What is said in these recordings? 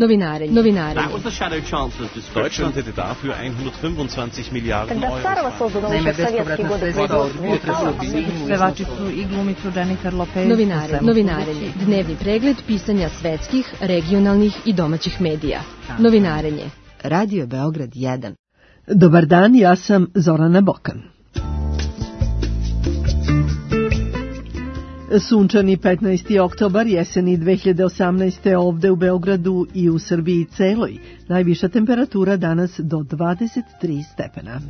Novinarenje. Deutschland hätte dafür 125 Milijarden Euro. Naime, bespovratna sredstva od pevačicu i glumicu Jennifer Lopez. Novinarenje. Dnevni pregled pisanja svetskih, regionalnih i domaćih medija. Novinarenje. Radio Beograd 1. Dobar dan, ja sam Zorana Bokan. Sunčani 15. oktobar, jeseni 2018. ovde u Beogradu i u Srbiji celoj. Najviša temperatura danas do 23 stepena.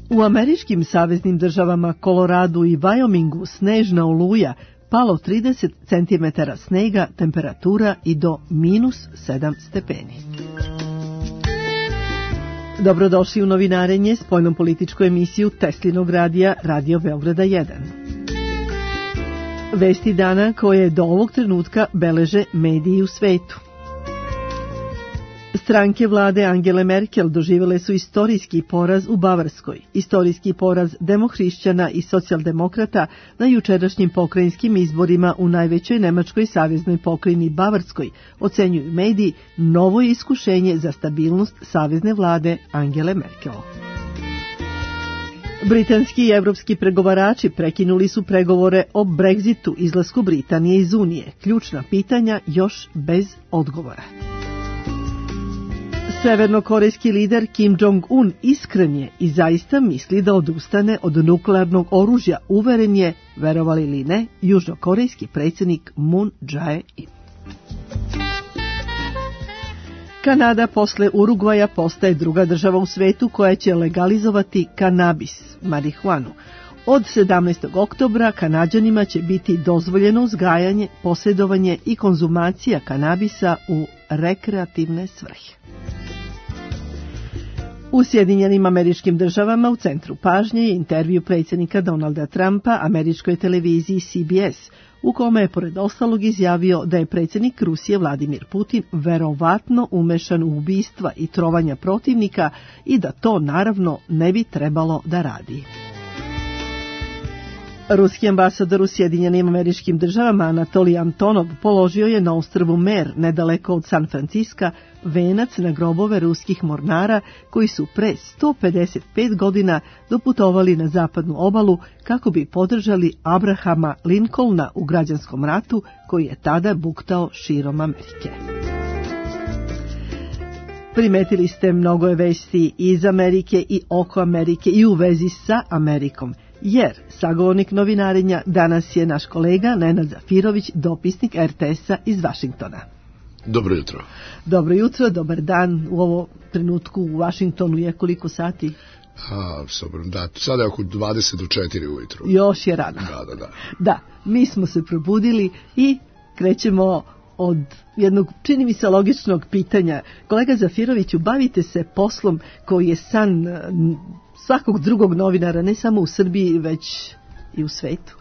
U američkim saveznim državama Koloradu i Wyomingu snežna oluja, palo 30 cm snega, temperatura i do -7 stepeni. Dobrodošli u novinarenje, spoljnopolitičku emisiju Teslinog radija Radio Beograda 1. Vesti dana koje do ovog trenutka beleže mediji u svetu. Stranke vlade Angele Merkel doživjele su istorijski poraz u Bavarskoj, istorijski poraz demohrišćana i socijaldemokrata na jučerašnjim pokrajinskim izborima u najvećoj nemačkoj saveznoj pokrajini Bavarskoj, ocenjuju mediji, novo je iskušenje za stabilnost savezne vlade Angele Merkel. Britanski i evropski pregovarači prekinuli su pregovore o Brexitu, izlasku Britanije iz Unije. Ključna pitanja još bez odgovora. Severnokorejski lider Kim Jong-un iskren je i zaista misli da odustane od nuklearnog oružja, uveren je, verovali ili ne, južnokorejski predsjednik Moon Jae-in. Kanada posle Urugvaja postaje druga država u svetu koja će legalizovati kanabis, marihuanu. Od 17. oktobra Kanađanima će biti dozvoljeno uzgajanje, posjedovanje i konzumacija kanabisa u rekreativne svrhe. U Sjedinjenim Američkim Državama u centru pažnje je intervju predsjednika Donalda Trumpa američkoj televiziji CBS, u kome je pored ostalog izjavio da je predsjednik Rusije Vladimir Putin verovatno umešan u ubistva i trovanja protivnika i da to naravno ne bi trebalo da radi. Ruski ambasador u Sjedinjenim Američkim Državama Anatolij Antonov položio je na ostrvu Mer, nedaleko od San Franciska, venac na grobove ruskih mornara koji su pre 155 godina doputovali na zapadnu obalu kako bi podržali Abrahama Lincolna u građanskom ratu koji je tada buktao širom Amerike. Primetili ste, mnogo je vesti iz Amerike i oko Amerike i u vezi sa Amerikom. Jer sagovornik novinarenja danas je naš kolega Nenad Zafirović, dopisnik RTS-a iz Vašingtona. Dobro jutro. Dobro jutro, dobar dan. U ovo trenutku u Vašingtonu je koliko sati? Sada je oko 20 do 4 ujutru. Još je rano. Da, mi smo se probudili i krećemo od jednog, čini mi se, logičnog pitanja. Kolega Zafiroviću, bavite se poslom koji je san svakog drugog novinara, ne samo u Srbiji, već i u svetu.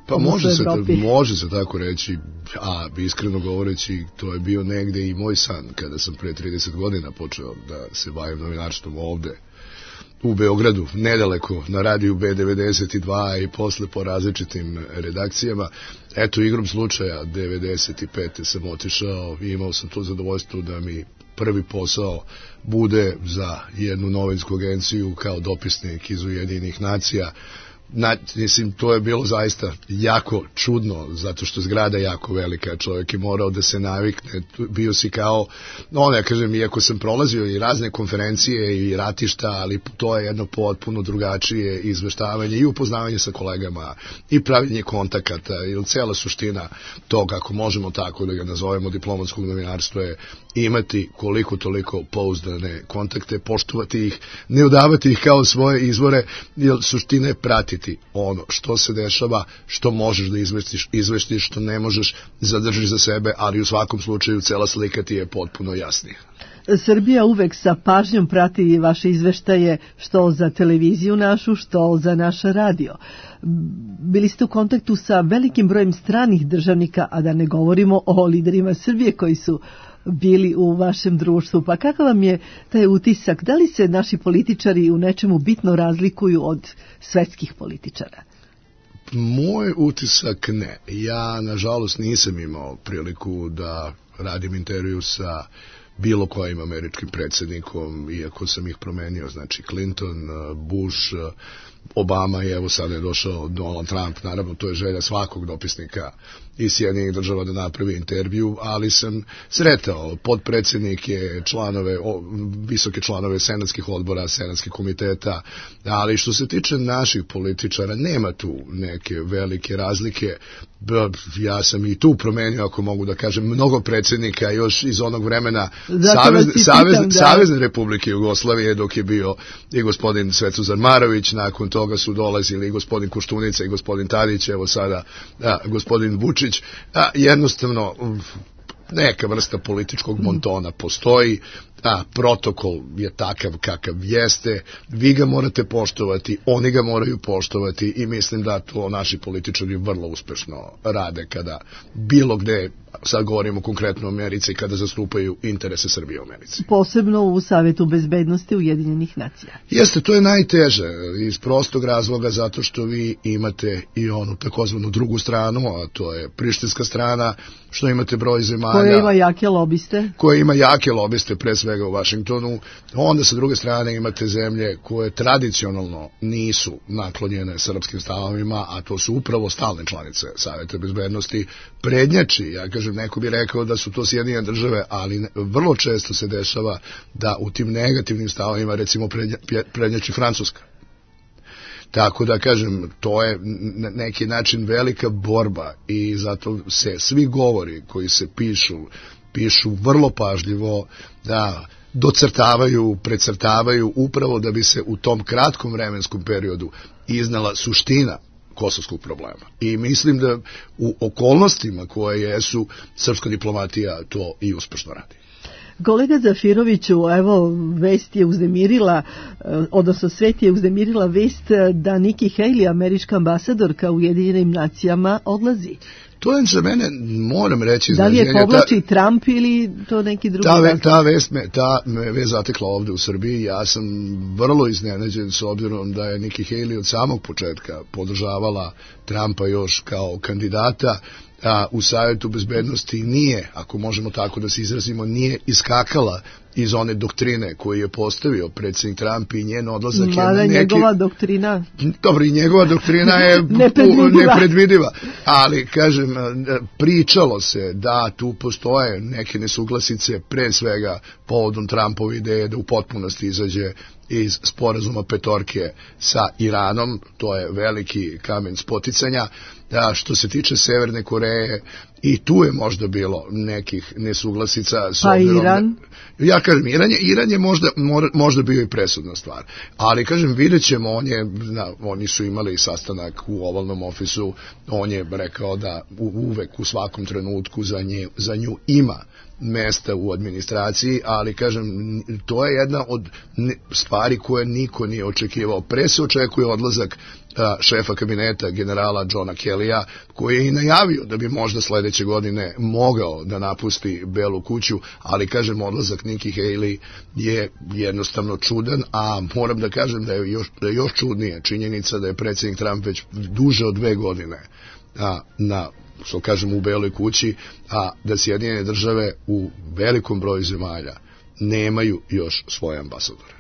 Pa može se tako reći, a iskreno govoreći, to je bio negde i moj san kada sam pre 30 godina počeo da se bavim novinarstvom ovde u Beogradu, nedaleko na radiju B92 i posle po različitim redakcijama. Eto, igrom slučaja 95. sam otišao i imao sam to zadovoljstvo da mi prvi posao bude za jednu novinsku agenciju kao dopisnik iz Ujedinjenih nacija. Mislim, to je bilo zaista jako čudno, zato što zgrada je jako velika, čovjek je morao da se navikne, bio si kao, ja kažem, iako sam prolazio i razne konferencije i ratišta, ali to je jedno potpuno drugačije izveštavanje i upoznavanje sa kolegama i pravljenje kontakata, ili cijela suština toga, ako možemo tako da ga nazovemo diplomatskog novinarstva, je imati koliko toliko pouzdane kontakte, poštovati ih, ne udavati ih kao svoje izvore, jer suština je pratiti ono što se dešava, što možeš da izvestiš, što ne možeš zadržiš za sebe, ali u svakom slučaju cela slika ti je potpuno jasnija. Srbija uvek sa pažnjom prati vaše izveštaje, što za televiziju našu, što za naš radio. Bili ste u kontaktu sa velikim brojem stranih državnika, a da ne govorimo o liderima Srbije koji su bili u vašem društvu. Pa kakav vam je taj utisak? Da li se naši političari u nečemu bitno razlikuju od svetskih političara? Moj utisak ne. Ja, nažalost, nisam imao priliku da radim intervju sa bilo kojim američkim predsjednikom, iako sam ih promenio, znači Clinton, Bush, Obama i evo sada je došao Donald Trump, naravno to je želja svakog dopisnika iz Sjedinjenih Država da napravi intervju, ali sam sretao potpredsjednike, visoke članove senatskih odbora, senatskih komiteta, ali što se tiče naših političara, nema tu neke velike razlike. Ja sam i tu promenio, ako mogu da kažem, mnogo predsjednika još iz onog vremena Savezne Republike Jugoslavije, dok je bio i gospodin Svetozar Marović, nakon toga su dolazili i gospodin Koštunica i gospodin Tadić, evo sada gospodin Vučić. Jednostavno neka vrsta političkog montona postoji, protokol je takav kakav jeste, vi ga morate poštovati, oni ga moraju poštovati i mislim da to naši političari vrlo uspešno rade kada bilo gde, sad govorimo konkretno o Americi, kada zastupaju interese Srbije u Americi. Posebno u Savetu bezbednosti Ujedinjenih nacija. Jeste, to je najteže iz prostog razloga zato što vi imate i onu takozvanu drugu stranu, a to je prištinska strana, što imate broj zemalja koja ima jake lobiste. Koja ima jake lobiste, pre svega u Vašingtonu. Onda sa druge strane imate zemlje koje tradicionalno nisu naklonjene srpskim stavovima, a to su upravo stalne članice Saveta bezbednosti. Prednjači, ja kažem, neko bi rekao da su to Sjedinjene Države, ali vrlo često se dešava da u tim negativnim stavovima recimo prednjači Francuska. Tako da kažem, to je na neki način velika borba i zato se svi govori koji se pišu vrlo pažljivo, da docrtavaju, precrtavaju upravo da bi se u tom kratkom vremenskom periodu iznala suština kosovskog problema. I mislim da u okolnostima koje jesu, srpska diplomatija to i uspešno radi. Kolega Zafiroviću, evo, vest je uznemirila, odnosno svet je uznemirila vest da Nikki Haley, američka ambasadorka u Ujedinjenim nacijama, odlazi. To je za mene, moram reći... Da li je povlači Trump ili to neki drugi razlog? Ta me vez zatekla ovde u Srbiji. Ja sam vrlo iznenađen s obzirom da je Nikki Haley od samog početka podržavala Trumpa još kao kandidata, a u Savetu bezbednosti nije, ako možemo tako da se izrazimo, nije iskakala iz one doktrine koju je postavio predsjednik Trump i njen odlazak je na neki... njegova doktrina... Dobro, i njegova doktrina je nepredvidiva. Ali, kažem, pričalo se da tu postoje neke nesuglasice, pre svega povodom Trumpove ideje da u potpunosti izađe iz sporazuma petorke sa Iranom, to je veliki kamen spoticanja. Što se tiče Severne Koreje, i tu je možda bilo nekih nesuglasica. Pa Iran? Ja kažem, Iran je možda bio i presudna stvar. Ali, kažem, vidjet ćemo, oni su imali sastanak u ovalnom ofisu, on je rekao da uvek u svakom trenutku za nju ima mesta u administraciji, ali kažem, to je jedna od stvari koje niko nije očekivao. Pre se očekuje odlazak šefa kabineta generala Johna Kellya, koji je i najavio da bi možda sledeće godine mogao da napusti Belu kuću, ali kažem, odlazak Nikki Haley je jednostavno čudan, a moram da kažem da je još čudnije činjenica da je predsjednik Trump već duže od 2 godine što kažem u Beloj kući, a da Sjedinjene Države u velikom broju zemalja nemaju još svoje ambasadore.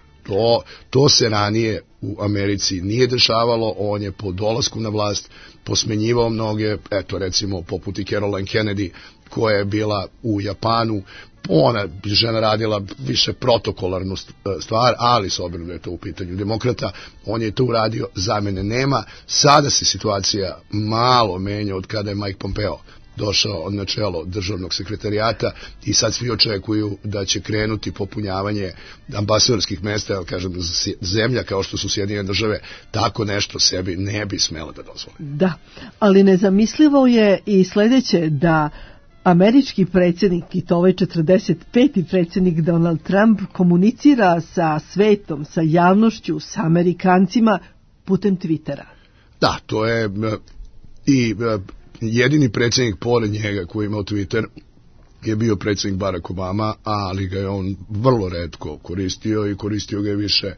To se ranije u Americi nije dešavalo, on je po dolasku na vlast posmenjivao mnoge, eto recimo poput i Caroline Kennedy, koja je bila u Japanu, ona žena radila više protokolarnu stvar, ali s obzirom da je to u pitanju demokrata, on je to uradio, zamene nema. Sada se situacija malo menja od kada je Mike Pompeo došao na čelo državnog sekretarijata i sad svi očekuju da će krenuti popunjavanje ambasadorskih mesta, jer kažem, zemlja kao što su Sjedinjene Države tako nešto sebi ne bi smela da dozvoli. Da, ali nezamislivo je i sledeće, da američki predsjednik, i to ovaj 45. predsjednik Donald Trump, komunicira sa svetom, sa javnošću, sa Amerikancima putem Twittera. Da, to je i jedini predsjednik pored njega koji je imao Twitter je bio predsjednik Barack Obama, ali ga je on vrlo retko koristio i koristio ga je više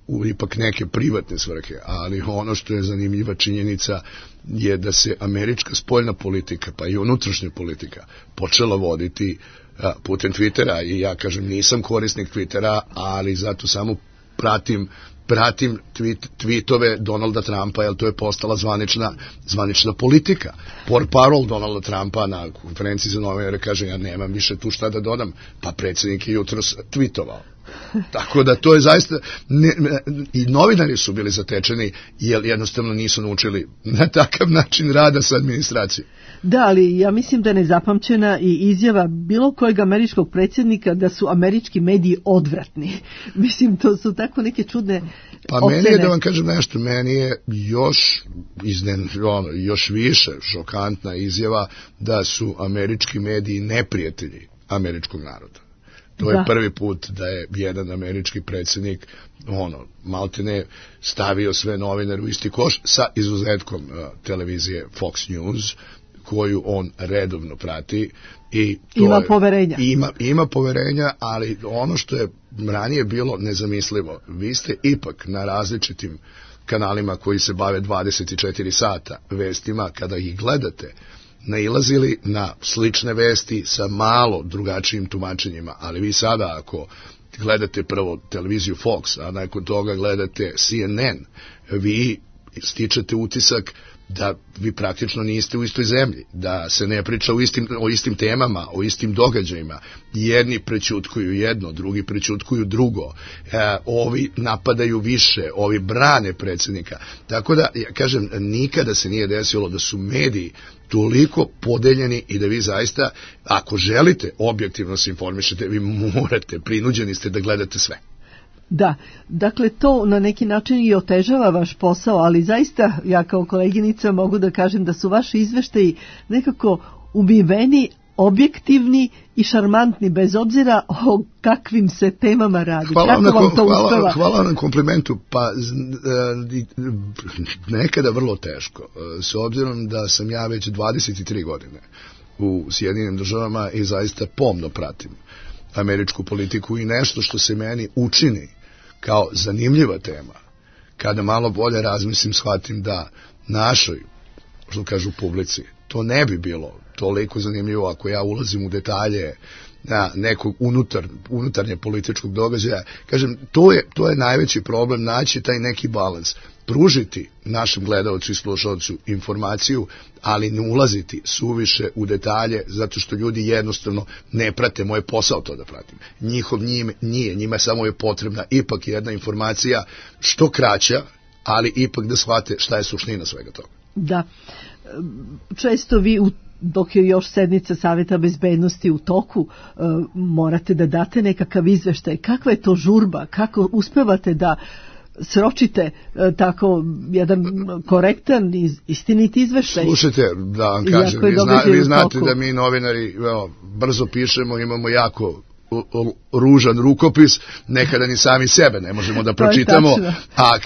u ipak neke privatne svrhe, ali ono što je zanimljiva činjenica je da se američka spoljna politika, pa i unutrašnja politika, počela voditi putem Twittera, i ja kažem nisam korisnik Twittera, ali zato samo pratim tweetove Donalda Trumpa, jer to je postala zvanična politika. Portparol Donalda Trumpa na konferenciji za novinare kaže, ja nemam više tu šta da dodam, pa predsjednik je jutros tweetovao. Tako da to je zaista, i novinari su bili zatečeni, jer jednostavno nisu naučili na takav način rada sa administracijom. Da, ali ja mislim da je nezapamćena i izjava bilo kojeg američkog predsjednika da su američki mediji odvratni. Mislim, to su tako neke čudne pa ocene. Meni je, da vam kažem nešto, meni je još više šokantna izjava da su američki mediji neprijatelji američkog naroda. To je prvi put da je jedan američki predsjednik maltene stavio sve novinare u isti koš, sa izuzetkom televizije Fox News, koju on redovno prati. I to ima poverenja. Ima poverenja, ali ono što je ranije bilo nezamislivo, vi ste ipak na različitim kanalima koji se bave 24 sata vestima, kada ih gledate, nailazili na slične vesti sa malo drugačijim tumačenjima, ali vi sada ako gledate prvo televiziju Fox, a nakon toga gledate CNN, vi stičete utisak da vi praktično niste u istoj zemlji, da se ne priča o istim temama, o istim događajima. Jedni prećutkuju jedno, drugi prećutkuju drugo, ovi napadaju više, ovi brane predsjednika. Tako da, ja kažem, nikada se nije desilo da su mediji toliko podeljeni i da vi zaista, ako želite objektivno se informišete, vi morate, prinuđeni ste da gledate sve. Da, dakle to na neki način i otežava vaš posao, ali zaista ja kao koleginica mogu da kažem da su vaši izveštaji nekako umiveni, objektivni i šarmantni, bez obzira o kakvim se temama radi. Hvala na komplimentu, pa nekada vrlo teško, s obzirom da sam ja već 23 godine u Sjedinjenim Državama i zaista pomno pratim američku politiku, i nešto što se meni učini kao zanimljiva tema, kada malo bolje razmislim, shvatim da našoj, što kažu publici, to ne bi bilo toliko zanimljivo ako ja ulazim u detalje na nekog unutarnje političkog događaja. Kažem, to je najveći problem, naći taj neki balans, pružiti našem gledalcu i slušalcu informaciju, ali ne ulaziti suviše u detalje, zato što ljudi jednostavno ne prate, moj posao to da pratim. Njima samo je potrebna ipak jedna informacija što kraća, ali ipak da shvate šta je suština svega toga. Da, često vi dok je još sednica Savjeta bezbednosti u toku, morate da date nekakav izveštaj. Kakva je to žurba? Kako uspevate da sročite tako jedan korektan, istinit izveštaj? Slušajte, da vam kažem, vi znate da mi novinari brzo pišemo, imamo jako ružan rukopis, nekada ni sami sebe ne možemo da pročitamo, a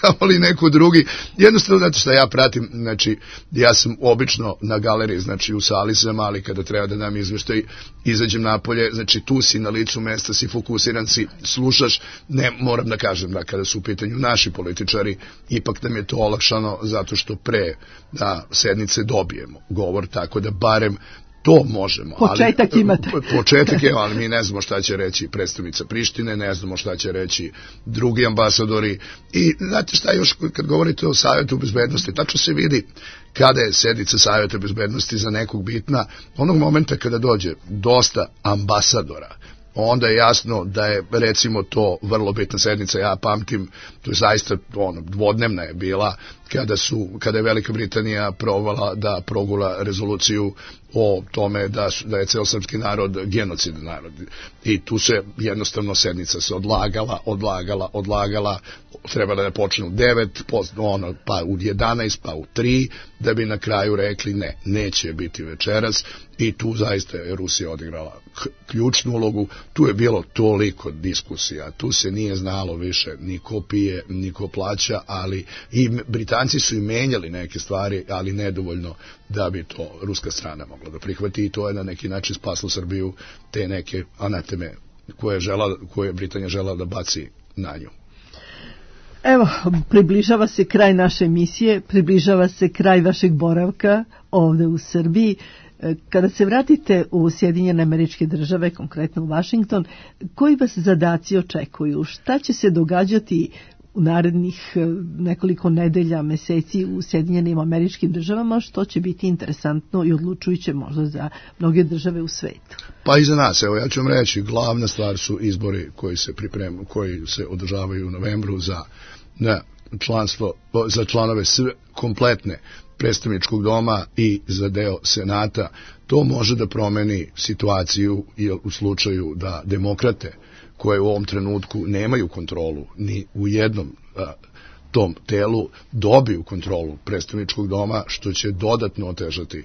kamoli neko drugi. Jednostavno, zato što ja pratim, znači, ja sam obično na galeriji, znači u sali sam, ali kada treba da dam izveštaj, izađem napolje, znači tu si na licu mesta, si fokusiran, si slušaš, ne moram da kažem da kada su u pitanju naši političari, ipak nam je to olakšano zato što pre da sednice dobijemo govor, tako da barem to možemo. Početak imate. Početak je, ali mi ne znamo šta će reći predstavnica Prištine, ne znamo šta će reći drugi ambasadori. I znate šta još, kad govorite o Savjetu bezbednosti, tačno se vidi kada je sednica Savjeta bezbednosti za nekog bitna, onog momenta kada dođe dosta ambasadora, onda je jasno da je, recimo, to vrlo bitna sednica. Ja pamtim, to je zaista dvodnevna je bila, kada je Velika Britanija provala da progula rezoluciju o tome da je ceo srpski narod genocidan narod. I tu se jednostavno sednica se odlagala, trebala da počne u 9, pa u 11, pa u 3, da bi na kraju rekli ne, neće biti večeras. I tu zaista je Rusija odigrala ključnu ulogu. Tu je bilo toliko diskusija, tu se nije znalo više ni ko pije, ni ko plaća, ali i Britanci su i menjali neke stvari, ali nedovoljno da bi to ruska strana mogla da prihvati, i to je na neki način spaslo Srbiju te neke anateme koje je Britanija žela da baci na nju. Evo, približava se kraj naše emisije, približava se kraj vašeg boravka ovde u Srbiji. Kada se vratite u Sjedinjene Američke Države, konkretno u Washington, koji vas zadaci očekuju? Šta će se događati u narednih nekoliko nedelja, meseci u Sjedinjenim Američkim Državama, što će biti interesantno i odlučujuće možda za mnoge države u svetu? Pa i za nas, evo ja ću vam reći, glavna stvar su izbori koji se pripremaju, koji se održavaju u novembru za članstvo, za članove kompletne predstavničkog doma i za deo Senata. To može da promeni situaciju u slučaju da demokrate koje u ovom trenutku nemaju kontrolu ni u jednom tom telu dobiju kontrolu predstavničkog doma, što će dodatno otežati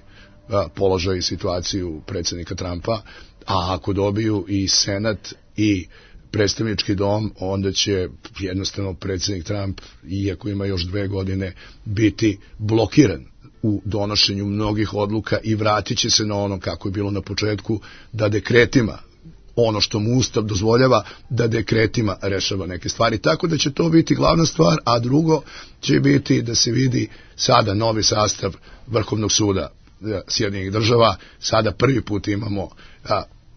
položaj i situaciju predsjednika Trumpa, a ako dobiju i Senat i predstavnički dom, onda će jednostavno predsjednik Trump, iako ima još 2 godine, biti blokiran u donošenju mnogih odluka i vratit će se na ono kako je bilo na početku, da dekretima, ono što mu Ustav dozvoljava, da dekretima rešava neke stvari. Tako da će to biti glavna stvar, a drugo će biti da se vidi sada novi sastav Vrhovnog suda Sjedinjenih Država. Sada prvi put imamo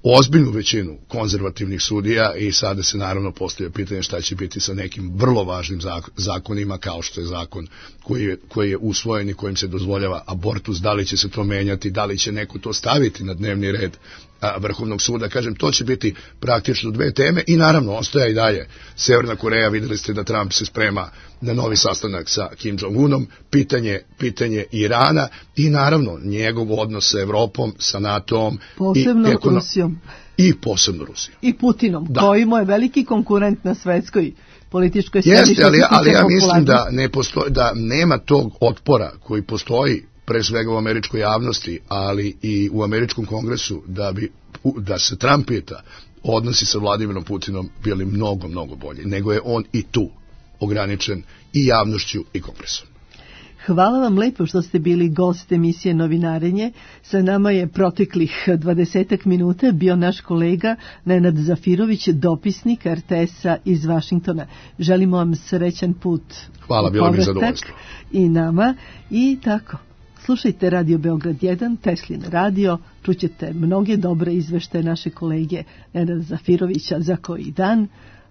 ozbiljnu većinu konzervativnih sudija i sada se naravno postavlja pitanje šta će biti sa nekim vrlo važnim zakonima, kao što je zakon koji je usvojen i kojim se dozvoljava abortus, da li će se to menjati, da li će neko to staviti na dnevni red Vrhovnog suda. Kažem, to će biti praktično 2 teme i naravno ostaje i dalje Severna Koreja. Videli ste da Trump se sprema na novi sastanak sa Kim Jong-unom, pitanje Irana i naravno njegov odnos sa Evropom, sa NATO-om posebno i Rusijom. I posebno Rusijom. I Putinom, koji mu je veliki konkurent na svetskoj političkoj sceni. Jeste, ali ja mislim da da nema tog otpora koji postoji pre svega u američkoj javnosti, ali i u američkom kongresu, da se Trump pita, odnosi sa Vladimirom Putinom bili mnogo, mnogo bolji, nego je on i tu ograničen i javnošću i kongresom. Hvala vam lepo što ste bili gost emisije Novinarenje. Sa nama je proteklih 20 minuta bio naš kolega Nenad Zafirović, dopisnik RTS-a iz Vašingtona. Želimo vam srećan put. Hvala, bilo mi zadovoljstvo. I nama. I tako, slušajte Radio Beograd 1, Teslin radio, čućete mnoge dobre izveštaje naše kolege Nenada Zafirovića za koji dan.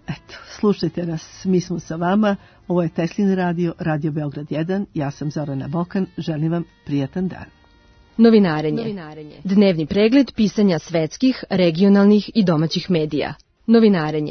Eto, slušajte nas, mi smo sa vama, ovo je Teslin radio, Radio Beograd 1, ja sam Zorana Bokan, želim vam prijatan dan. Novinarenje. Dnevni pregled pisanja svetskih, regionalnih i domaćih medija. Novinarenje.